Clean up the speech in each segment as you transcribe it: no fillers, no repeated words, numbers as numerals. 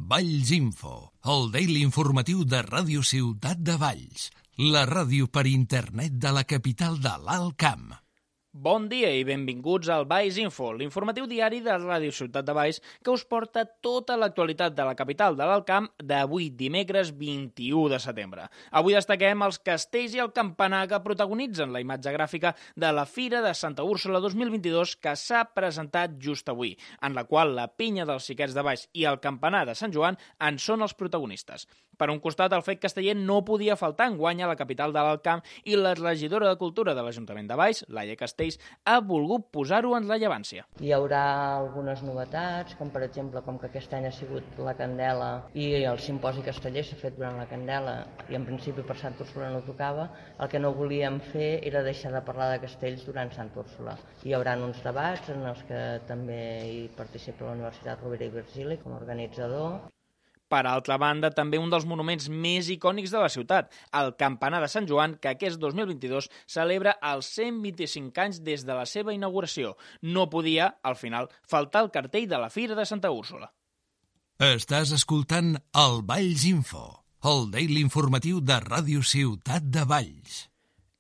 Valls Info, el daily informatiu de Ràdio Ciutat de Valls, la ràdio per internet de la capital de l'Alt Camp. Bon dia i benvinguts al Valls Info, l'informatiu diari de Ràdio Ciutat de Valls que us porta tota l'actualitat de la capital de l'Alt Camp d'avui, dimecres 21 de setembre. Avui destaquem els castells i el campanar que protagonitzen la imatge gràfica de la Fira de Santa Úrsula 2022 que s'ha presentat just avui, en la qual la pinya dels xiquets de Valls i el campanar de Sant Joan en són els protagonistes. Per un costat, el fet casteller no podia faltar enguany a la capital de l'Alt Camp i la regidora de Cultura de l'Ajuntament de Valls, Laia Castells, ha volgut posar-ho en rellevància. Hi haurà algunes novetats, com per exemple, com que aquest any ha sigut la Candela i el simposi casteller s'ha fet durant la Candela i en principi per Santa Úrsula no tocava, el que no volíem fer era deixar de parlar de castells durant Santa Úrsula. Hi haurà uns debats en els que també hi participa la Universitat Rovira i Virgili com a organitzador. Per altra banda, també un dels monuments més icònics de la ciutat, el Campanar de Sant Joan, que aquest 2022 celebra els 125 anys des de la seva inauguració. No podia, al final, faltar el cartell de la Fira de Santa Úrsula. Estàs escoltant el Valls Info, el daily informatiu de Ràdio Ciutat de Valls.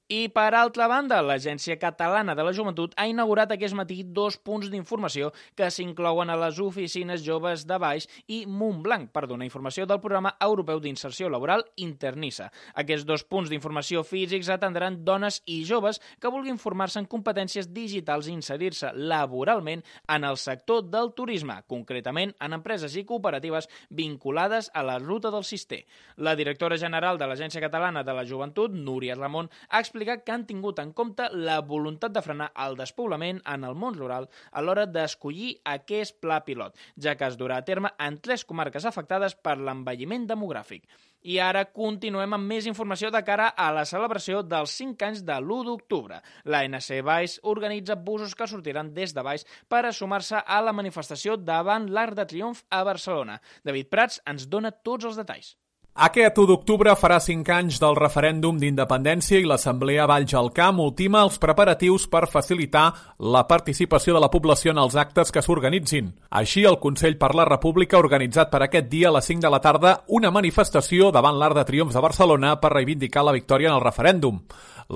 I, per altra banda, l'Agència Catalana de la Joventut ha inaugurat aquest matí 2 punts d'informació que s'inclouen a les oficines joves de Valls i Montblanc per donar informació del programa europeu d'inserció laboral Internissa. Aquests 2 punts d'informació físics atendran dones i joves que vulguin formar-se en competències digitals i inserir-se laboralment en el sector del turisme, concretament en empreses i cooperatives vinculades a la ruta del Cister. La directora general de l'Agència Catalana de la Joventut, Núria Ramon, ha explicat que han tingut en compte la voluntat de frenar el despoblament en el món rural a l'hora d'escollir aquest pla pilot, ja que es durà a terme en 3 comarques afectades per l'envelliment demogràfic. I ara continuem amb més informació de cara a la celebració dels 5 anys de l'1 d'octubre. L'ANC Valls organitza busos que sortiran des de Valls per a sumar-se a la manifestació davant l'Arc de Triomf a Barcelona. David Prats ens dona tots els detalls. Aquest 1 d'octubre farà 5 anys del referèndum d'independència i l'Assemblea Valls al Camp ultima els preparatius per facilitar la participació de la població en els actes que s'organitzin. Així, el Consell per la República ha organitzat per aquest dia a les 5 de la tarda una manifestació davant l'Arc de Triomf de Barcelona per reivindicar la victòria en el referèndum.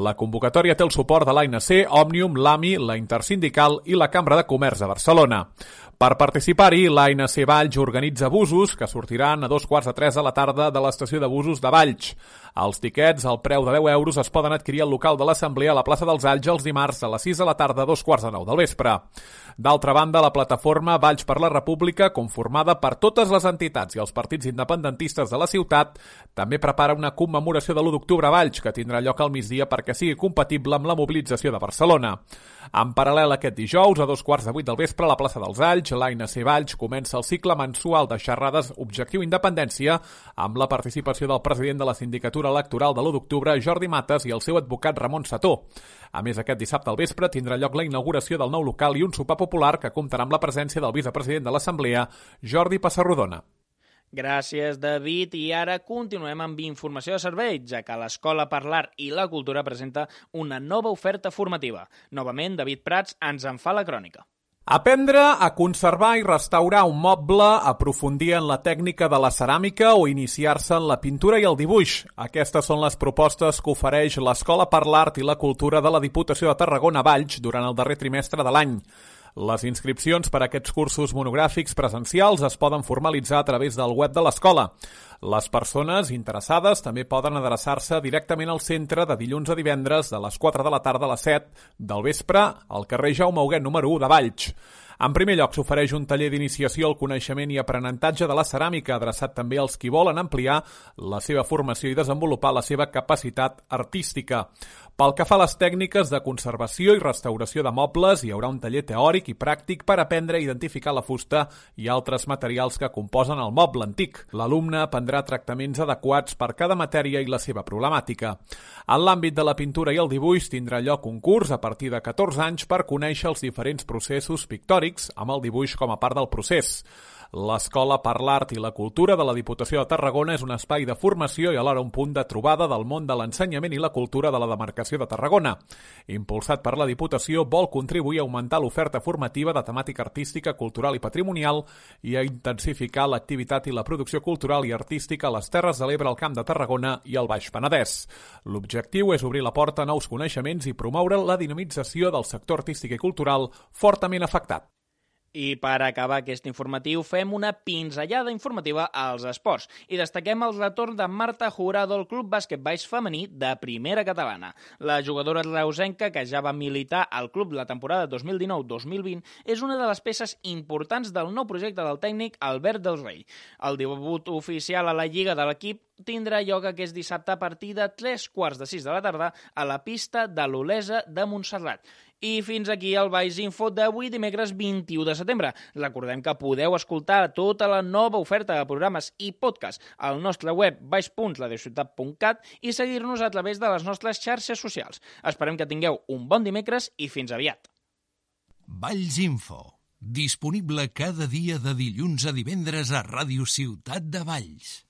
La convocatòria té el suport de l'ANC, Òmnium, l'AMI, la Intersindical i la Cambra de Comerç de Barcelona. Per participar-hi, l'ANC Valls organitza busos que sortiran a 2:15 de la tarda de l'estació de busos de Valls. Els tiquets, al preu de 10 euros, es poden adquirir al local de l'Assemblea a la plaça dels Alls els dimarts a les 6 de la tarda a 2:45 del vespre. D'altra banda, la plataforma Valls per la República, conformada per totes les entitats i els partits independentistes de la ciutat, també prepara una commemoració de l'1 d'octubre a Valls, que tindrà lloc al migdia perquè sigui compatible amb la mobilització de Barcelona. En paral·lel aquest dijous, a 2:15 del vespre, a la plaça dels Alls, l'ANC Valls comença el cicle mensual de xerrades Objectiu Independència amb la participació del president de la Sindicatura Electoral de l'1 d'octubre, Jordi Mates, i el seu advocat Ramon Sató. A més, aquest dissabte al vespre tindrà lloc la inauguració del nou local i un sopar popular que comptarà amb la presència del vicepresident de l'Assemblea, Jordi Passarrodona. Gràcies, David. I ara continuem amb informació de servei, ja que l'Escola per l'Art i la Cultura presenta una nova oferta formativa. Novament, David Prats ens en fa la crònica. Aprendre a conservar i restaurar un moble, aprofundir en la tècnica de la ceràmica o iniciar-se en la pintura i el dibuix. Aquestes són les propostes que ofereix l'Escola per l'Art i la Cultura de la Diputació de Tarragona Valls durant el darrer trimestre de l'any. Les inscripcions per a aquests cursos monogràfics presencials es poden formalitzar a través del web de l'escola. Les persones interessades també poden adreçar-se directament al centre de dilluns a divendres de les 4 de la tarda a les 7 del vespre al carrer Jaume Huguet número 1 de Valls. En primer lloc, s'ofereix un taller d'iniciació al coneixement i aprenentatge de la ceràmica, adreçat també als qui volen ampliar la seva formació i desenvolupar la seva capacitat artística. Pel que fa a les tècniques de conservació i restauració de mobles, hi haurà un taller teòric i pràctic per aprendre a identificar la fusta i altres materials que composen el moble antic. L'alumne aprendrà tractaments adequats per cada matèria i la seva problemàtica. En l'àmbit de la pintura i el dibuix tindrà lloc un curs a partir de 14 anys per conèixer els diferents processos pictòrics amb el dibuix com a part del procés. L'Escola per l'Art i la Cultura de la Diputació de Tarragona és un espai de formació i alhora un punt de trobada del món de l'ensenyament i la cultura de la demarcació de Tarragona. Impulsat per la Diputació, vol contribuir a augmentar l'oferta formativa de temàtica artística, cultural i patrimonial i a intensificar l'activitat i la producció cultural i artística a les Terres de l'Ebre, al Camp de Tarragona i al Baix Penedès. L'objectiu és obrir la porta a nous coneixements i promoure la dinamització del sector artístic i cultural fortament afectat. I per acabar aquest informatiu fem una pinzellada informativa als esports i destaquem el retorn de Marta Jurado al Club Bàsquet Baix femení de primera catalana. La jugadora reusenca, que ja va militar al club la temporada 2019-2020, és una de les peces importants del nou projecte del tècnic Albert Del Rey. El debut oficial a la lliga de l'equip tindrà lloc aquest dissabte a partir de 3:15 de la tarda a la pista de l'Olesa de Montserrat. I fins aquí el Baix Info d'avui, dimecres 21 de setembre. Recordem que podeu escoltar tota la nova oferta de programes i podcast al nostre web baix.ladeciutat.cat i seguir-nos a través de les nostres xarxes socials. Esperem que tingueu un bon dimecres i fins aviat. Valls Info, disponible cada dia de dilluns a divendres a Ràdio Ciutat de Valls.